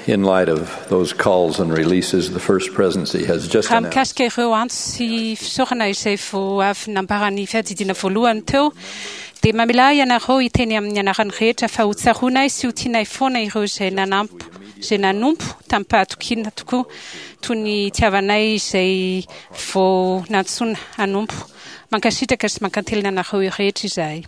In light of those calls and releases, the First Presidency has just Raha announced mikasika ireo antso sy fisaorana izay vao avy nambaran'ny fiadidiana voalohany teo, dia mamelà ahy ianareo hiteny amin'ny anaran'ny rehetra fa ho tsaroanay sy ho tianay foana ireo izay nanampo, izay nanompo tamim-pahatokiana tokoa, toy ny itiavanay izay vao nantsoina hanompo. Mankasitraka sy mankantelina anareo rehetra izahay.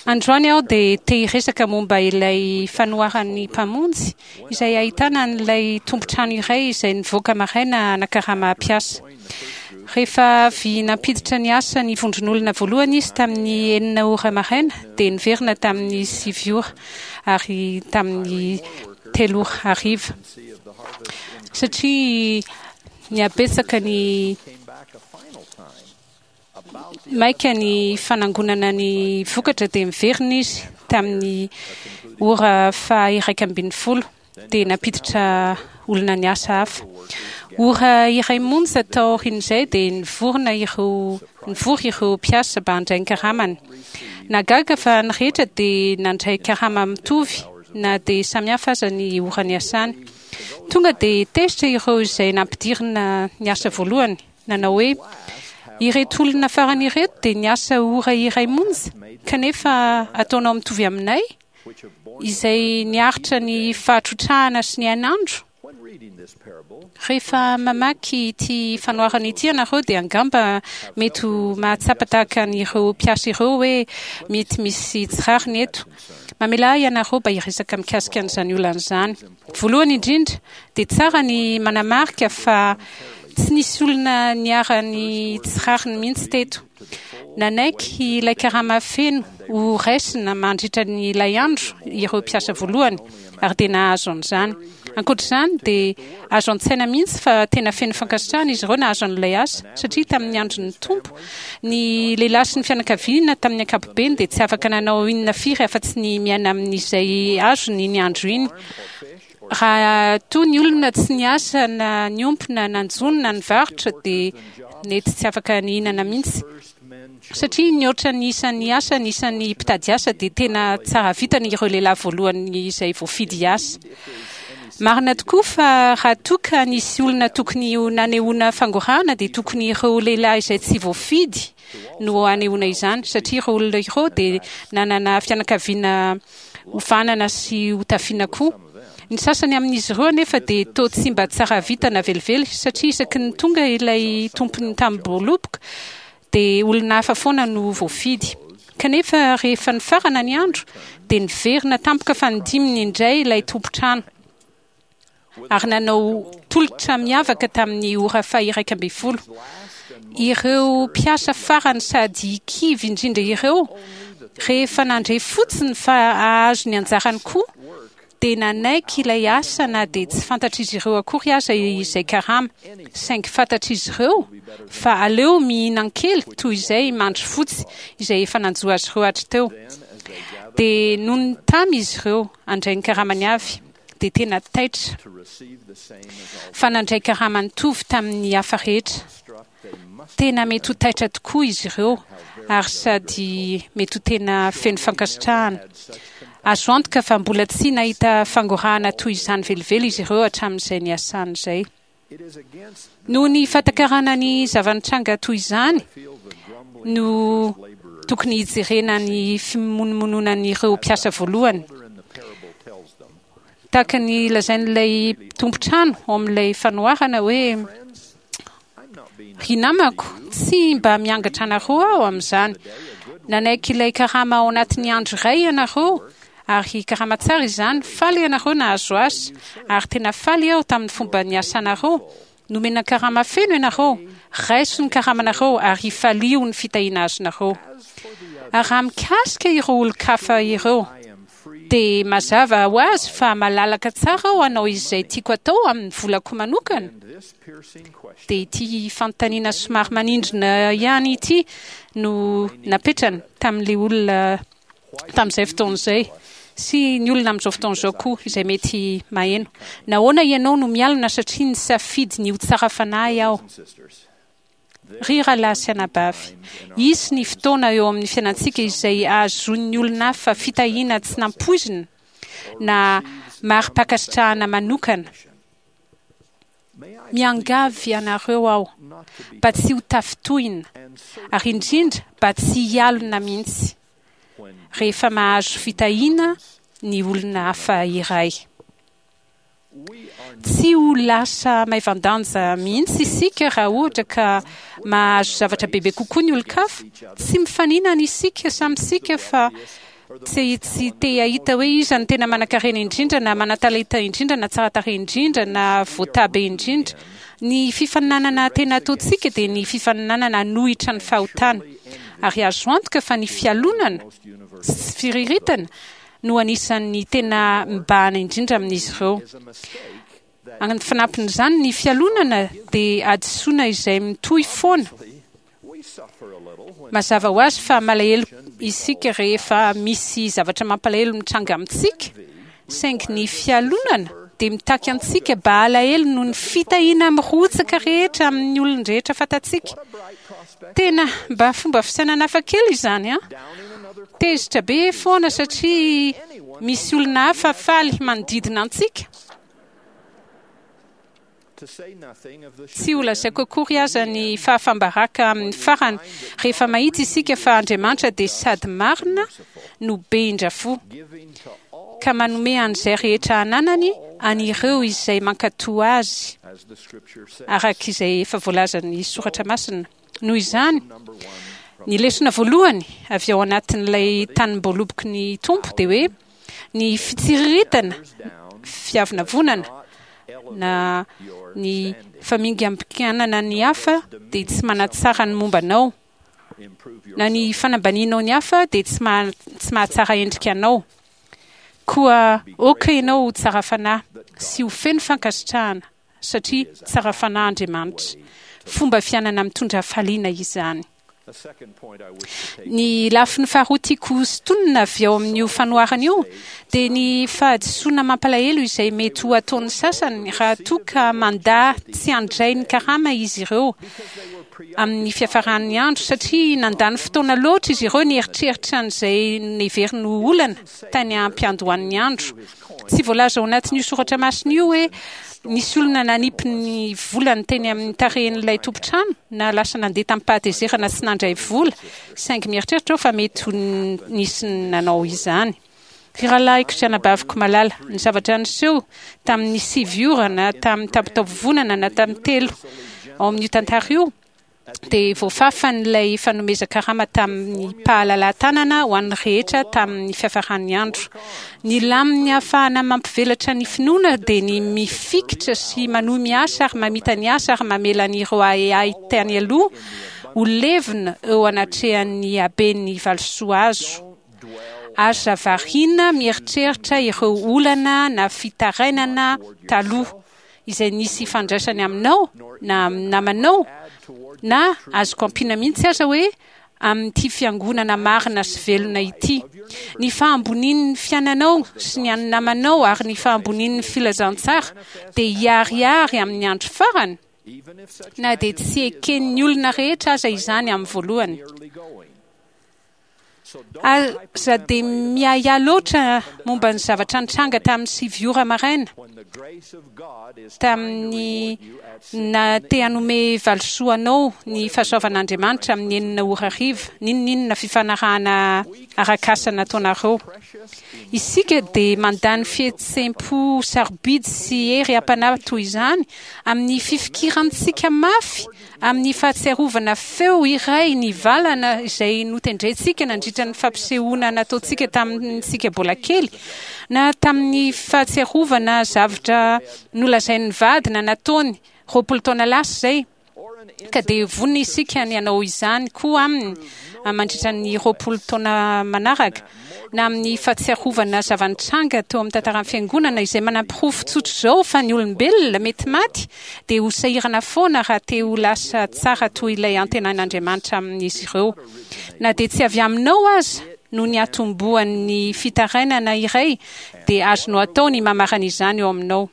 Androany aho dia te hiresaka momba ilay fanoharan'ny Mpamonjy izay ahitana an'ilay tompon-trano iray izay nivoaka maraina hanakarama mpiasa. Rehefa avy nampiditra ny asa ny vondron'olona voalohany izy tamin'ny enina ora maraina dia niverina tamin'ny sivy ora ary tamin'ny telo ora hariva satria nihabetsaka ny Maika ny fanangonana ny vokatra dia miverina izy tamin'ny ora faha-11 dia nampiditra olona niasa hafa. Ora iray monja taorian'izay dia nivorona ireo nivory ireo mpiasa mba handray ny karamany. Nahagaga fa ny rehetra dia nandray karama mitovy na dia samihafa aza ny ora niasany. Tonga dia tezitra ireo izay nampidirina niasa voalohany. nanao hoe, Ireto olona farany ireto dia niasa ora iray monja, kanefa ataonao mitovy aminay, izay niaritra ny fahatrotrahana sy ny hainandro? Rehefa mamaky ity fanoharana ity ianareo dia angamba mety ho mahatsapa tahaka an'ireo mpiasa ireo hoe mety misy tsy rariny eto. Mamelà ahy ianareo mba hiresaka mikasika an'izany olana izany. Voalohany indrindra, dia tsara ny manamarika fa tsy nisy olona niharan'ny tsy rariny mihitsy teto. Nanaiky ilay karama feno ho raisina mandritra ny ilay andro ireo mpiasa voalohany, ary dia nahazo an'izany. Ankoatra izany, dia azo an-tsaina mihitsy fa tena feno fankasitrahana izy ireo nahazo an'ilay asa, satria tamin'ny andron'ny Tompo, ny lehilahy sy ny fianakaviana tamin'ny ankapobeny dia tsy afaka nanao inona firy afa-tsy ny miaina amin'izay azony iny andro iny. Raha toa ny olona tsy niasa na niompy na nanjono na nivarotra dia nety tsy afaka nihinana mihitsy. Satria nihoatra ny isan'ny asa ny isan'ny mpitady asa dia tena tsara vintana ireo lehilahy voalohany izay voafidy hiasa. Marina tokoa fa raha toa ka nisy olona tokony ho nanehoana fangorahana dia tokony ireo lehilahy izay tsy voafidy no hanehoana izany satria ireo olona ireo dia nanana fianakaviana hovanana sy hotafiana koa. Ny sasany amin'izy ireo anefa dia toa tsy mba tsara vintana velively satria isaky ny tonga ilay tompon'ny tamim-boaloboka dia olona hafa foana no voafidy. Kanefa rehefa nifarana ny andro dia niverina tampoka fanindiminy indray ilay tompon-trano ary nanao tolotra miavaka tamin'ny ora faha-11. Ireo mpiasa farany sady kivy indrindra ireo, rehefa nandre fotsiny fa hahazo ny anjarany koa, dia nanaiky ilay asa na dia tsy fantatr'izy ireo akory aza izay karama, saingy fantatr'izy ireo fa aleo mihinan-kely toy izay mandry fotsy izay efa nanjo azy ireo hatriteo. Dia nony tamy izy ireo handray ny karamany avy, dia tena taitra fa nandray karama nitovy tamin'ny hafa rehetra. Tena mety ho taitra tokoa izy ireo ary sady mety ho tena feno fankasitrahana. Azo antoka fa mbola tsy nahita fangorahana toy izany velively izy ireo hatramin'izay niasany izay. Noho ny fahatakarana ny zava-nitranga toy izany no tokony hijerena ny fimonomononan'ireo mpiasa voalohany. Tahaka ny lazain'ilay tompon-trano ao amin'ilay fanoharana hoe, Ry namako, tsy mba miangatra anareo aho amin'izany. Nanaiky ilay karama ao anatin'ny andro iray ianareo, ary karama tsara izany. Faly ianareo nahazo asa, ary tena faly aho tamin'ny fomba niasanareo. Nomena karama feno ianareo. Raiso ny karamanareo ary ifalio ny fitahiana azonareo. Ary raha mikasika ireo olon-kafa ireo, dia mazava ho azy fa malalaka tsara aho hanao izay tiako atao amin'ny volako manokana. Dia ity fanontaniana somary manindrona ihany ity no napetrany tamin'ilay olona tamin'izay fotoana izay sy ny olona amin'izao fotoana izao koa izay mety maheno. Nahoana ianao no mialona satria nisafidy ny ho tsara fanahy aho? Ry rahalahy sy anabavy, hisy ny fotoana eo amin'ny fiainantsika izay hahazoan'ny olona hafa fitahiana tsy nampoizina. na mari-pankasitrahana manokana. Miangavy anareo aho mba tsy ho tafintohina, ary indrindra mba tsy hialona mihitsy, rehefa mahazo fitahiana ny olona hafa iray. Tsy ho lasa maivan-danja mihitsy isika raha ohatra ka mahazo zavatra bebe kokoa ny olon-kafa. Tsy mifaninana isika samy isika fa tsy tsy te hahita hoe iza no tena manankarena indrindra na manan-talenta indrindra na tsara tarehy indrindra na voatabe indrindra. Ny fifaninanana tena ataontsika dia ny fifaninanana hanohitra ny fahotana. Ary azo antoka fa ny fialonana sy firiritana no anisan'ny tena mibahana indrindra amin'izy ireo. Amin'ny fanampin'izany, ny fialonana dia hadisoana izay mitohy foana. Mazava ho azy fa malahelo isika rehefa misy zavatra mampalahelo mitranga amintsika, saingy ny fialonana dia mitaky antsika mba halahelo noho ny fitahiana mirotsaka rehetra amin'ny olon-drehetra fantatsika. Tena mba fomba fisainana hafa kely izany an! Tezitra be foana satria misy olona hafa faly manodidina antsika. Tsy holazaiko akory aza ny fahafam-baraka amin'ny farany rehefa mahita isika fa Andriamanitra dia sady marina no be indra-fo, ka manome an'izay rehetra ananany an'ireo izay mankatò Azy, araka izay efa voalazan'ny Soratra Masina. Noho izany, ny lesona voalohany avy ao anatin'ilay tanim-boaloboky ny Tompo dia hoe ny fitsiriritana, fiavonavonana, na ny famingampikanana ny hafa dia tsy manatsara ny momba anao, na ny fanambanianao ny hafa dia tsy mahatsara endrika anao. Koa aoka ianao ho tsara fanahy sy ho feno fankasitrahana satria tsara fanahy Andriamanitra. Fomba fiainana mitondra hafaliana izany. Ny lafiny faharoa tiako hosintonina avy ao amin'io fanoharana io dia ny fahadisoana mampalahelo izay mety ho ataon'ny sasany raha toa ka mandà tsy handray ny karama izy ireo amin'ny fiafaran'ny andro satria nandany fotoana loatra izy ireo nieritreritra an'izay neveriny ho olana tany am-piandohan'ny andro. Tsy voalaza ao anatin'io soratra masina io hoe nisy olona nanipy ny volany teny amin'ny tarehin'ilay tompon-trano na lasa nandeha tamim-pahatezerana tsy nandray vola, saingy mieritreritra aho fa mety ho nisy nanao izany. Ry rahalahiko sy anabaviko malala, ny zavatra niseho tamin'ny 9 ora na tamin'ny tampon-taovovonana na tamin'ny 3 ao amin'io tantara io, dia voafafan'ilay fanomezan-karama tamim-pahalalahan-tanana ho an'ny rehetra tamin'ny fiafaran'ny andro. Ny laminy ahafahana mampivelatra ny finoana dia ny mifikitra sy manohy miasa ary mamita ny asa ary mamela an'ireo ahiahy tany aloha ho levona eo anatrehan'ny haben'ny valisoa azo. Aza variana mieritreritra ireo olana na fitarainana taloha. izay nisy ifandraisany aminao na amin'ny namanao, na azoko ampiana mihitsy aza hoe amin'ity fiangonana marina sy velona ity. Ny fahambonian'ny fiainanao sy ny an'ny namanao ary ny fahambonian'ny filazantsara dia hiharihary amin'ny andro farany, na dia tsy eken'ny olona rehetra aza izany amin'ny voalohany. Aza dia miahiahy loatra momba ny zavatra nitranga tamin'ny 9 ora maraina, tamin'ny na te hanome valisoa anao ny fahasoavan'Andriamanitra amin'ny 6 ora hariva, n'inon'inona fifanarahana arak'asa nataonareo. Isika dia mandany fihetseham-po sarobidy sy hery am-panahy toy izany amin'ny fifikirantsika mafy amin'ny fahatsiarovana feo iray nivalana izay notendrentsika nandritra ny fampisehoana nataontsika tamintsika mbola kely, na tamin'ny fahatsiarovana zavtra nolazain'ny vady na nataony 20 taona lasa izay, ka dia vonona isika ny hanao izany koa aminy mandritra ny 20 taona manaraka. na amin'ny fahatsiarovana zava-nitranga teo amin'ny tantaran'ny Fiangonana izay manaporofo tsotr'izao fa ny olombelona mety maty dia ho sahirana foana raha te ho lasa tsara toy ilay antenain'Andriamanitra amin'izy ireo. Na dia tsy avy aminao aza no niatombohan'ny fitarainana iray dia azonao atao ny mamarana izany eo aminao.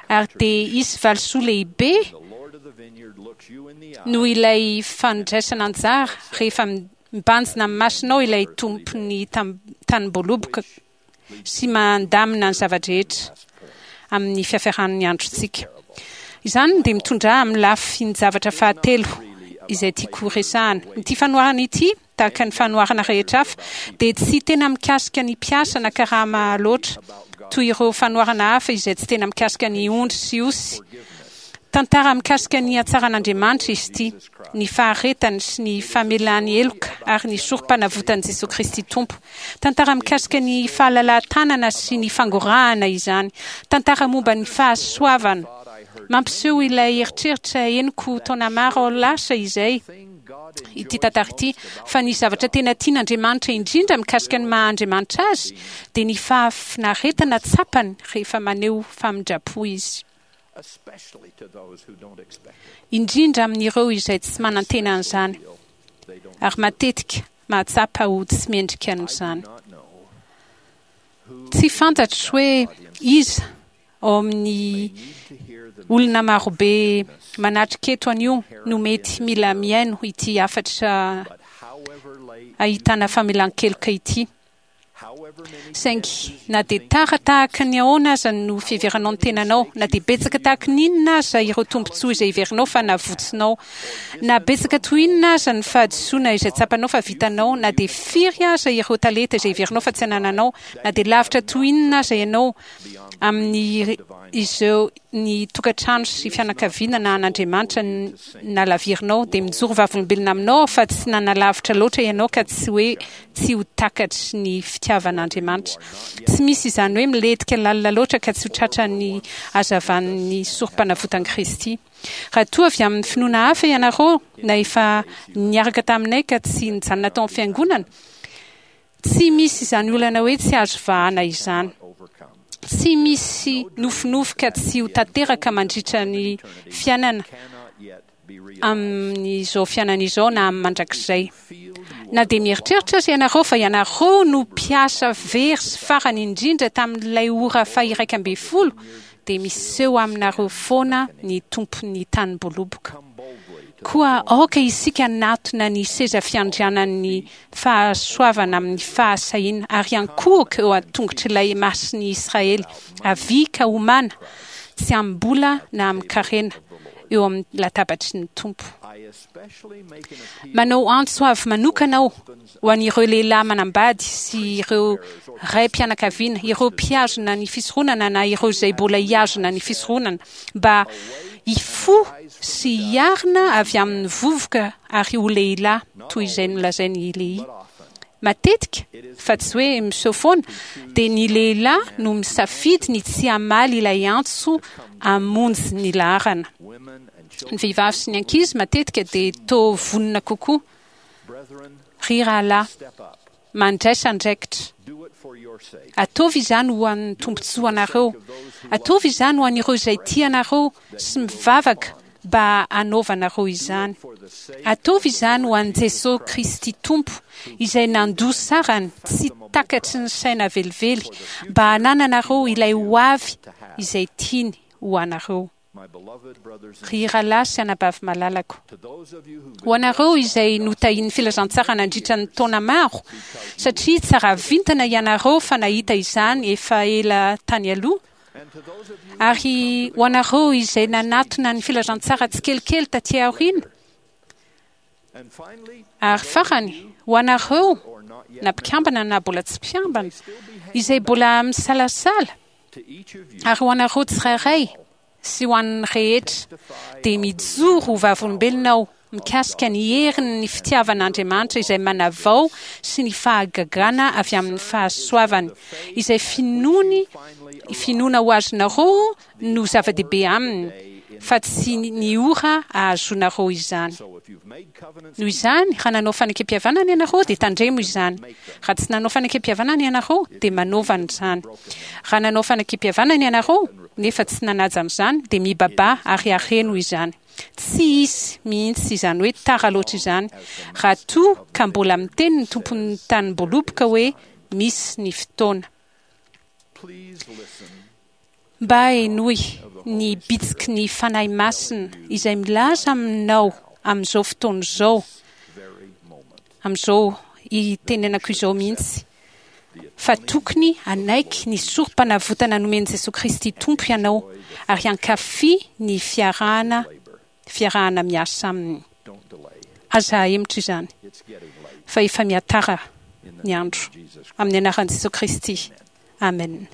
Ary dia hisy valisoa lehibe noho ilay fandraisana anjara rehefa Mibanjina amin'ny masonao ilay Tompon'ny tanim-boaloboka. sy mandamina ny zava-drehetra amin'ny fiafaran'ny androntsika. Izany dia mitondra ahy amin'ny lafin-javatra fahatelo izay tiako horesahana. Ity fanoharana ity, tahaka ny fanoharana rehetra hafa, dia tsy tena mikasika ny mpiasa na karama loatra, toy ireo fanoharana hafa izay tsy tena mikasika ny ondry sy osy. Tantara mikasika ny hatsaran'Andriamanitra izy ity, ny faharetany sy ny famelany heloka ary ny sorom-panavotan'i Jesoa Kristy Tompo. Tantara mikasika ny fahalalahan-tanana sy ny fangorahana izany. Tantara momba ny fahasoavana. Mampiseho ilay eritreritra henoko taona maro lasa izay ity tantara ity, fa ny zavatra tena tian'Andriamanitra indrindra mikasika ny maha Andriamanitra Azy dia ny fahafinaretana tsapany rehefa maneho famindram-po Izy. Indrindra amin'ireo izay tsy manantena an'izany ary matetika mahatsapa ho tsy mendrika an'izany. Tsy fantatro hoe iza ao amin'ny olona marobe manatrika eto anio no mety mila mihaino ity hafatra ahitana famelan-keloka ity. Saingy na dia tara tahaka ny ahoana aza no fiheveranao ny tenanao, na dia betsaka tahaka ny inona aza ireo tombontsoa izay heverinao fa navotsinao, na betsaka toy inona aza ny fahadisoana izay tsapanao fa vitanao, na dia firy aza ireo talenta izay heverinao fa tsy anananao, na dia lavitra toy inona aza ianao amin'ny izao ny tokantrano sy fianakaviana na an'Andriamanitra nalavirinao, dia mijoro vavolombelona aminao aho fa tsy nanalavitra loatra ianao ka tsy hoe tsy ho takatry ny fitiavan'Andriamanitra. Tsy misy izany hoe milentika lalina loatra ka tsy ho tratran'ny hazavan'ny sorompanavotan'i Kristy. Raha toa avy amin'ny finoana hafa ianareo na efa niaraka taminay ka tsy nijanona tao amin'ny fiangonana, Tsy misy izany olana hoe tsy azo vahana izany. Tsy misy nofinofy ka tsy ho tanteraka mandritra ny fiainana amin'izao fiainana izao na amin'ny mandrakizay. Na dia mieritreritra aza ianareo fa ianareo no mpiasa very sy farany indrindra tamin'ilay ora faha-11, dia miseho aminareo foana ny Tompon'ny tanim-boaloboka. Koa aoka isika hanatona ny seza fiandrianan'ny fahasoavana amin'ny fahasahiana, ary hiankohoka eo an-tongotr'ilay Masin'i Israely. Avia ka homana, tsy amim-bola na amin-karena, eo amin'ny latabatry ny Tompo. Manao antso avo manokana aho ho an'ireo lehilahy manambady sy ireo raim-pianakaviana, ireo mpihazona ny fisoronana na ireo izay mbola hihazona ny fisoronana, mba hifoha sy hiarina avy amin'ny vovoka ary ho lehilahy, toy izay nolazain'i Lehia. Matetika, fa tsy hoe miseho foana, dia ny lehilahy no misafidy ny tsy hamaly ilay antso hamonjy ny laharana. Ny vehivavy sy ny ankizy matetika dia toa vonona kokoa. Ry rahalahy, mandraisa andraikitra. Ataovy izany ho an'ny tombontsoanareo. Ataovy izany ho an'ireo izay tia anareo sy mivavaka mba hanaovanareo izany. Ataovy izany ho an'i Jesosy Kristy Tompo, izay nandoa sarany tsy takatry ny saina velively mba hanananareo ilay hoavy izay tiany ho anareo. Ry rahalahy sy anabavy malalako, ho anareo izay notahian'ny filazantsara nandritra ny taona maro, satria tsara vintana ianareo fa nahita izany efa ela tany aloha, ary ho anareo izay nanatona ny filazantsara tsikelikely taty aoriana, Ary farany, ho anareo, na mpikambana na mbola tsy mpikambana, izay mbola misalasala, ary ho anareo tsirairay sy ho an'ny rehetra, dia mijoro ho vavolombelona aho mikasika ny herin'ny fitiavan'Andriamanitra izay manavao sy ny fahagagana avy amin'ny fahasoavany, izay finoany, finoana ho azonareo no zava-dehibe aminy fa tsy ny ora ahazoanareo izany. Noho izany, raha nanao fanekempihavanana ianareo, dia tandremo izany. Raha tsy nanao fanekempihavanana ianareo, dia manaova an'izany. Raha nanao fanekempihavanana ianareo, nefa tsy nanaja an'izany, dia mibabaha ary areno izany. Tsy hisy mihitsy izany hoe tara loatra izany, raha toa ka mbola miteny ny tompon'ny tanim-boaloboka hoe misy ny fotoana. Mba henoy ny bitsiky ny Fanahy Masina izay milaza aminao amin'izao fotoana izao, amin'izao itenenako izao mihitsy. Fa tokony hanaiky ny sorom-panavotana nomen'i Jesoa Kristy Tompo ianao ary hankafy ny fiarahana fiarahana miasa Aminy. Aza ahemotra izany, fa efa mihatara ny andro. Amin'ny anaran'i Jesoa Kristy. Amen.